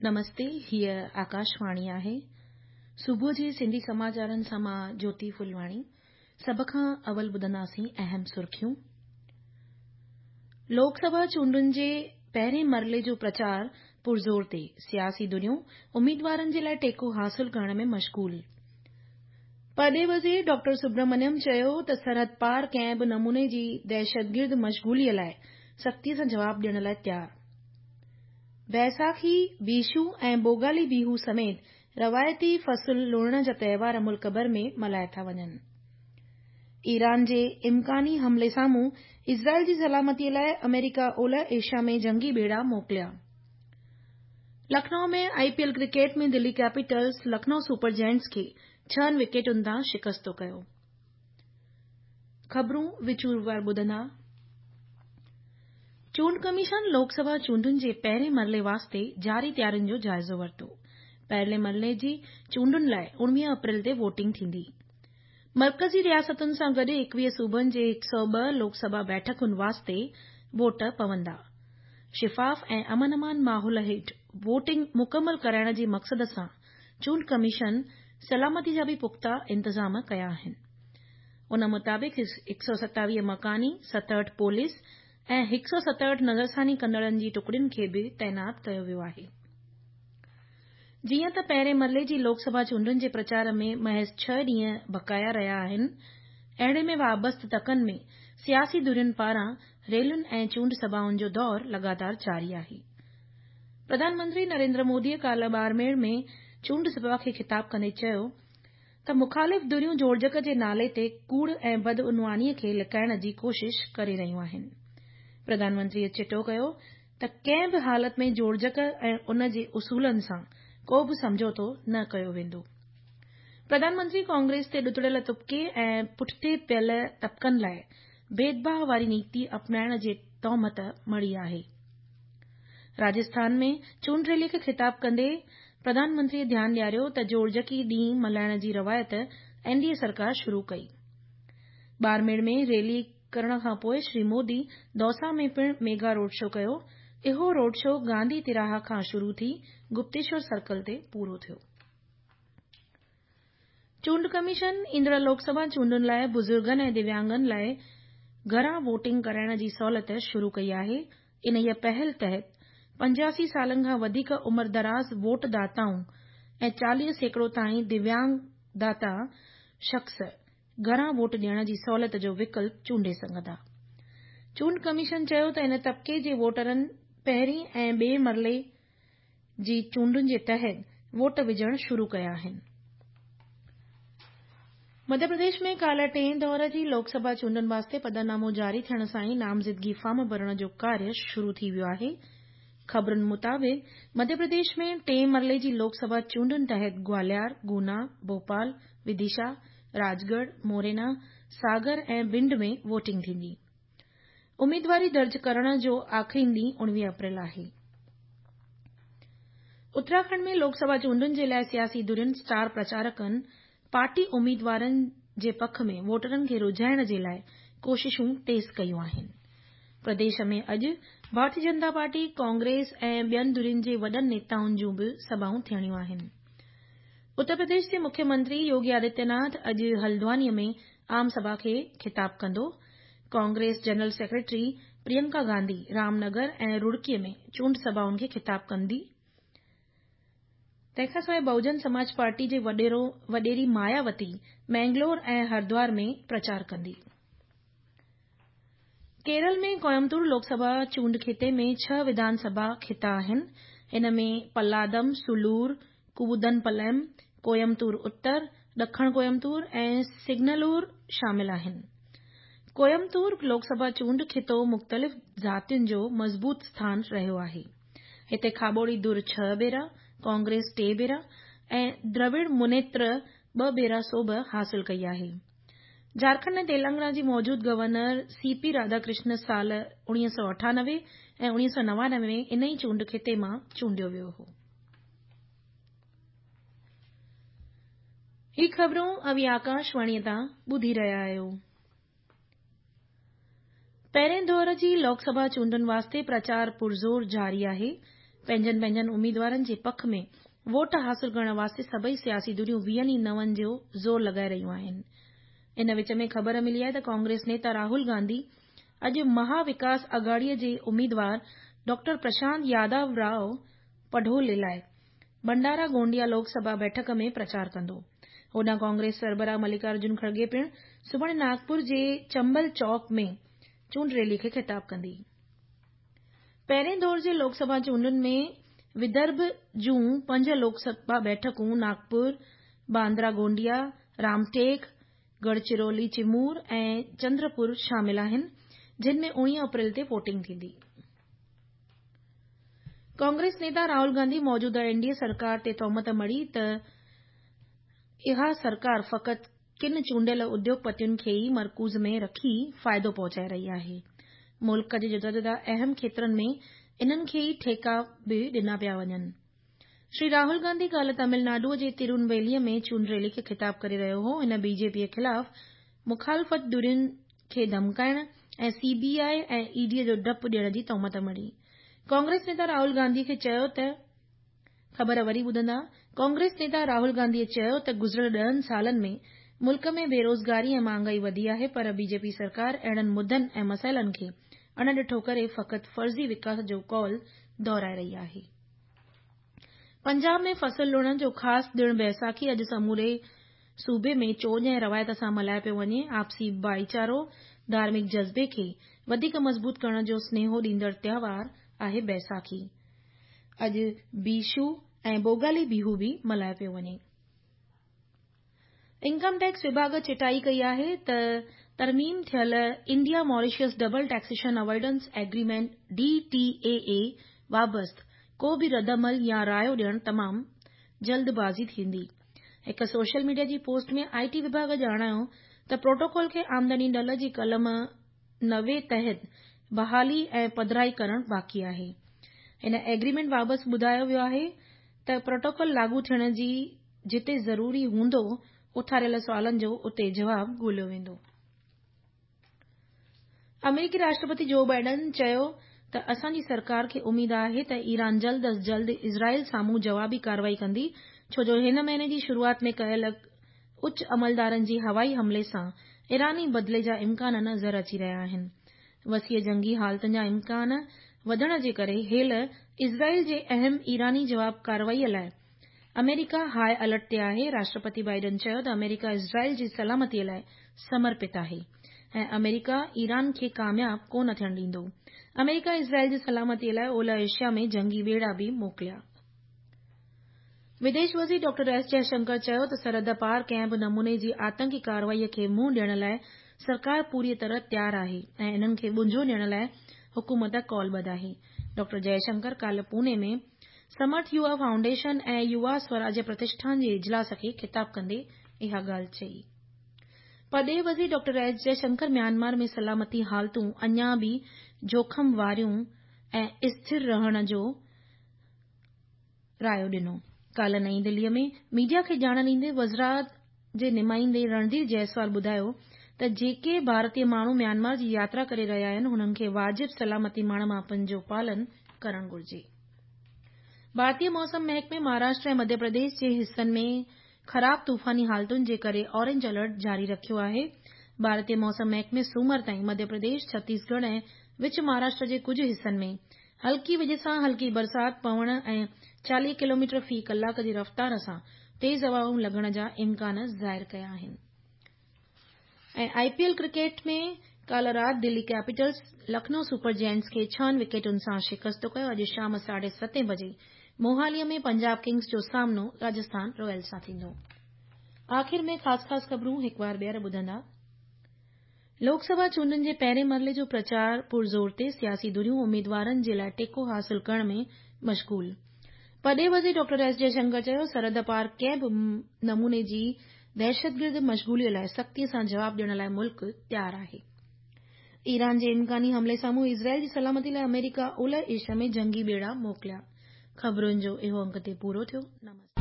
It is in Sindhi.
نمستي، هيء آڪاشواڻي آهي. صبح جي سنڌي سماچارن سان مان جوتي ڦلواڻي. سڀ کان اول ٻڌنداسين اهم سرخيون. لوڪ سڀا چونڊن جي پهرين مرحلي جو پرچار پرزور تي، سياسي ڌريون اميدوارن جي لاء ٽيڪو حاصل ڪرڻ ۾ مشغول. پرڏيهي وزير ڊاڪٽر سبرامنيم چيو ته سرحد پار ڪنهن به نموني جي دهشتگرد مشغولي لاء سختي سان جواب ڏيڻ لاء تيار. بيساکي، بيشو ۽ بوگالي بيهو سميت روايتي فصل لڻڻ جا تهوار ملڪ ڀر ۾ ملهايا ٿا وڃن. ايران جي امڪاني حملي سامهون اسرائيل جي سلامتي لاء آمريڪا اولهه ايشيا ۾ جنگي ٻيڙا موڪليا. Lucknow ۾ I P L cricket ۾ Delhi Capitals Lucknow Super Giants کي ڇهن وڪيٽن تان شڪستو ڪيو. خبرون وچور ٻڌندا. چونڊ ڪميشن لوڪ سڀا چونڊن جي پهرين مرحلي واسطي جاري تيارين جو جائزو ورتو. پهرين مرحلي جي چونڊن لاء 19 اپريل تي ووٽنگ ٿيندي. مرڪزي رياستن سان گڏ 21 صوبن جي 102 لوڪ سڀا بيٺڪن واسطي ووٽ پوندا. شفاف ۽ امن امان ماحول هيٺ ووٽنگ مڪمل ڪرائڻ جي مقصد سان چونڊ ڪميشن سلامتي جا به پختا انتظام ڪيا آهن. ان مطابق 127 مڪاني، 67 پوليس ۽ 167 نظرثاني ڪندڙن جي ٽڪڙين کي به تعينات ڪيو ويو آهي. جيئن ته پهرين مرحلي جي لوڪ سڀا چونڊن جي پرچار ۾ محض ڇهه ڏينهن بقايا رهيا آهن، اهڙي ۾ وابسته تڪن ۾ سياسي ڌرين پاران ريلين ۽ چونڊ سڀائن جو دور لڳاتار جاري آهي. پرڌان منتري نريندر موديء ڪالهه ٻاڙميڙ ۾ چونڊ سڀا کي خطاب ڪندي چيو ته مخالف ڌريون جوڙجڪ جي نالي تي ڪوڙ ۽ بدعنواني کي لڪائڻ جي ڪوشش ڪري رهيون آهن. پرڌان منتريء چٽو ڪيو ته ڪنهن به حالت ۾ جوڙجڪ ۽ ان جي اصولن سان ڪو به سمجهوتو نه ڪيو ويندو. پرڌان منتري ڪانگريس تي ڏتڙيل طبقي ۽ پٺتي پيل طبقن لاء ڀيدڀاء واري نيتي اپنائڻ جي تهمت مڙهي آهي. راجسٿان ۾ چونڊ ريلي کي خطاب ڪندي پرڌان منتريء ڌيان ڏياريو ته جوڙجڪي ڏينهن ملهائڻ جي روايت اين ڊي اي سرڪار شروع ڪئي. ٻاڙميڙ ۾ ريلي ڪرڻ کانپوء شري مودي دوسا ۾ پڻ ميگا روڊ شو ڪيو. اهو روڊ شو گانڌي تراها کان شروع ٿي گپتيشور سرڪل تي پورو ٿيو. چونڊ ڪميشن ايندڙ لوڪ سڀا چونڊن لاء بزرگن ۽ دويانگن لاء گهران ووٽنگ ڪرائڻ جي سهولت شروع ڪئي آهي. انهيء پهل تحت 85 سالن کان وڌيڪ عمر دراز ووٽ داتائون ۽ 40% تائين دويانگ داتا شخص گهران ووٽ ڏيڻ جي سهولت جو وڪلپ چونڊي سگهندا. چونڊ ڪميشن چيو ته ان طبقي جي ووٽرن پهرين ۽ ٻئي مرحلي جي چونڊن جي تحت ووٽ وجهڻ شروع ڪيا آهن. مڌيه پرديش ۾ ڪالهه ٽئين دور جي لوڪ سڀا چونڊن واسطي پڌرنامو جاري ٿيڻ سان ئي نامزدگي فارم ڀرڻ جو ڪاريه شروع ٿي ويو آهي. خبرن مطابق مڌيه پرديش ۾ ٽئين مرحلي جي لوڪ سڀا چونڊن تحت گواليار، گونا، ڀوپال، وديشا، راجڳڙهه، مورينا، ساگر ۽ ڀنڊ ۾ ووٽنگ ٿيندي. اميدواري درج ڪرڻ جو آخرين ڏينهن 19 اپريل آهي. اتراکنڊ ۾ لوڪ سڀا چونڊن جي لاء سياسي ڌرين اسٽار پرچارڪن پارٽي اميدوارن جي پک ۾ ووٽرن کي رجهائڻ جي لاء ڪوششون تيز ڪيون آهن. پرديش ۾ اڄ ڀارتي جنتا پارٽي، ڪانگريس ۽ ٻين ڌرين جي وڏن نيتائن جون به سڀائون ٿيڻيون آهن. اتر پرديش جي مکيه منتري يوگي آدتيه ناٿ اڄ هلدواني ۾ عام سڀا کي خطاب ڪندو. Congress general secretary Priyanka Gandhi Ramnagar ۽ Roorkee ۾ چونڊ سڀائن کي خطاب ڪندي. تنهن کانسواء بهوجن سماج پارٽي جي وڏيري مايا وتي مينگلور ۽ هردوار ۾ پرچار ڪندي. ڪيرل ۾ ڪوئمتور لوڪ سڀا چونڊ خطي ۾ ڇهه وڌان سڀا خطا آهن. ان ۾ پلادم، سلور، ڪوودنپلم، ڪوئمتور اتر، ڏکڻ ڪوئمتور ۽ سنگنلور شامل آهن. ڪوئمتور لوڪ سڀا چونڊ خطو مختلف ذاتين جو مضبوط اسٿان رهيو آهي. هتي کاٻوڙي ڌر ڇهه ڀيرا، ڪانگريس ٽي ڀيرا ۽ دراوڙ منيتر ٻه ڀيرا سوڀ حاصل ڪئي آهي. جهارکنڊ ۽ تيلنگانا جي موجود گورنر سي پي راڌاڪرشن سال 1998 ۽ 1999 ۾ ان ئي چونڊ خطي مان چونڊيو ويو هو. هي خبرون اوهين آڪاشواڻيء تان ٻڌي رهيا آهيو. پهرين دور جي لوڪ سڀا چونڊن واسطي پرچار پرزور جاري آهي. پنهنجن پنهنجن اميدوارن جي پک ۾ ووٽ حاصل ڪرڻ واسطي سڀئي سياسي ڌريون ويهن ئي نون جو زور لڳائي رهيون آهن. ان وچ ۾ خبر ملي آهي ته ڪانگريس نيتا راهول گانڌي اڄ مها وڪاس اگهاڙي جي اميدوار ڊاڪٽر پرشانت ياداو راء پڍولي لاء ڀنڊارا گونڊيا لوڪ سڀا بيٺڪ ۾ پرچار ڪندو. هوڏانهن ڪانگريس سربراهه ملڪارجن کڙگي پڻ سڀاڻي ناگپور جي چمبل چوڪ ۾ چونڊ ريلي کي خطاب ڪندي. پهرين دور جي لوڪ سڀا چونڊن ۾ ودرڀ جون پنج لوڪ سڀا بيٺڪون ناگپور، باندرا گونڊيا، رامٽيڪ، ڳڙهچرولي چمور ۽ چندرپور شامل آهن، جن ۾ 19 اپريل تي ووٽنگ ٿيندي. ڪانگريس نيتا راهول گانڌي موجوده اين ڊي اي سرڪار تي تهمت مڙهي ته اها سرڪار فقط ڪن چونڊيل اديوگپتين کي ئي مرڪوز ۾ رکي فائدو پهچائي رهي آهي. ملڪ جي جدا جدا اهم کيترن ۾ انهن کي ئي ٺيڪا به ڏنا پيا وڃن. شري راهول گانڌي ڪالهه تامل ناڊوء جي ترونويليء ۾ چونڊ ريلي کي خطاب ڪري رهيو هو. هن بي جي پيء خلاف مخالفت ڌرين کي ڌمڪائڻ ۽ سي بي آء ۽ اي ڊي جو ڊپ ڏيڻ جي تهمت مڙهي. ڪانگريس نيتا راهول گانڌي کي چيو ته خبر وري ٻڌندا، ڪانگريس نيتا راهول گانڌي چيو ته گذريل ڏهن سالن ۾ ملڪ ۾ بيروزگاري ۽ مهانگائي وڌي آهي پر بي جي پي سرڪار اهڙن مدن ۽ مسئلن کي اڻ ڏٺو ڪري فقط فرضي وڪاس جو قول دهرائي رهي آهي. پنجاب ۾ فصل لڻڻ جو خاص ڏڻ بيساکي اڄ سموري صوبي ۾ چوڄ ۽ روايت سان ملهايو پيو وڃي، آپسي ڀائيچارو، ڌارمڪ جذبي کي وڌيڪ مضبوط ڪرڻ جو سنيهو ڏيندڙ تهوار آهي بيساکي. اڄ بيشو ۽ بوگالي بيهو به ملهايو پيو وڃي. انڪم ٽيڪس وڀاڳ چٽائي ڪئي آهي ته ترميم ٿيل India Mauritius double taxation avoidance agreement, D T A اي، بابت ڪو به ردعمل يا رايو ڏيڻ تمام جلدبازي ٿيندي. هڪ سوشل ميڊيا جي پوسٽ ۾ I ٽي وڀاڳ ڄاڻايو ته پروٽوڪول کي آمدني ڍل جي قلم 90 تحت بحالي ۽ پڌرائي ڪرڻ باقي آهي. هن ايگريمينٽ بابت ٻڌايو ويو آهي ته پروٽوڪول لاڳو ٿيڻ جي جتي ضروري هوندو اٿاريل سوالن جو اتي جواب ڳوليو ويندو. آمريڪي راشٽرپتي جو بائيڊن چيو ته اسان جي سرڪار کي اميد آهي ته ايران جلد از جلد اسرائيل سامهون جوابي ڪارروائي ڪندي ڇو جو هن مهيني جي شروعات ۾ ڪيل اچ عملدارن جي هوائي حملي سان ايراني بدلي جا امڪان نظر اچي رهيا آهن. وسيع جنگي حالتن جا امڪان وڌڻ جي ڪري هيل اسرائيل جي اهم ايراني جواب ڪارروائي لاء آمريڪا هاء الرٽ تي آهي. راشٽرپتي بائيڊن چيو ته آمريڪا اسرائيل جي سلامتي لاء سمرپت آهي ۽ آمريڪا ايران کي ڪامياب ڪو نه ٿيڻ ڏيندو. آمريڪا اسرائيل جي سلامتي لاء اولهه ايشيا ۾ جنگي ٻيڙا به موڪليا. وديش وزير ڊاڪٽر ايس جئشنڪر چيو ته سرحد پار ڪنهن به نموني جي آتنڪي ڪارروائي کي منهن ڏيڻ لاء سرڪار پوريء طرح تيار آهي ۽ انهن کي ٻنجو ڏيڻ لاء حڪومت قولبڌ آهي. ڊاڪٽر جئشنڪر ڪالهه پوني ۾ سمرٿ يووا فائونڊيشن ۽ يووا سوراجيه پرتشٺان جي اجلاس کي خطاب ڪندي اها ڳالهه چئي. پرڏيهي وزير ڊاڪٽر ايس جئشنڪر ميانمار ۾ سلامتي حالتون اڃا به جوکم واريون ۽ اسٿر رهڻ جو رايو ڏنو. ڪالهه نئين دهليء ۾ ميڊيا کي ڄاڻ ڏيندي وزارت جي نمائندي رڻڌير جئسوال ٻڌايو ته جيڪي ڀارتي ماڻهو ميانمار جي ياترا ڪري رهيا آهن انهن کي واجب سلامتي ماڻ ماپن جو پالن ڪرڻ گهرجي. ڀارتي موسم محڪمي مهاراشٽر ۽ مڌيه پرديش جي حصن ۾ خراب طوفاني حالتن جي ڪري اورنج الرٽ جاري رکيو آهي. ڀارتي موسم محڪمي سومر تائين مڌيه پرديش، ڇتيسڳڙهه ۽ وچ مهاراشٽر جي ڪجهه حصن ۾ هلڪي وڄ سان هلڪي برسات پوڻ ۽ 40 ڪلوميٽر في ڪلاڪ جي رفتار سان تيز هوائون لڳڻ جا امڪان ظاهر ڪيا آهن. ۽ آء پي ايل ڪرڪيٽ ۾ ڪالهه رات Delhi Capitals Lucknow super giants کي ڇهن وڪيٽن سان شڪست ڪيو. اڄ شام ساڍي ستين بجي موهالي ۾ پنجاب ڪنگز جو سامنو راجسٿان رائلز سان ٿيندو. آخر ۾ خاص خاص خبرون هڪ وار ٻيهر ٻڌندا. لوڪ سڀا چونڊن جي پهرين مرحلي جو پرچار پرزور تي، سياسي ڌريون اميدوارن جي لاء ٽيڪو حاصل ڪرڻ ۾ مشغول. پرڏيهي وزير ڊاڪٽر ايس جئشنڪر چيو سرحد پار ڪنهن به نموني جي دهشتگرد مشغولي لاء سختي سان جواب ڏيڻ لاء ملڪ تيار آهي. ايران جي امڪاني حملي سامهون اسرائيل جي سلامتي لاء آمريڪا اولهه ايشيا ۾ جنگي ٻيڙا موڪليا. خبرن جو اهو انگ تي پورو ٿيو. نمسڪار.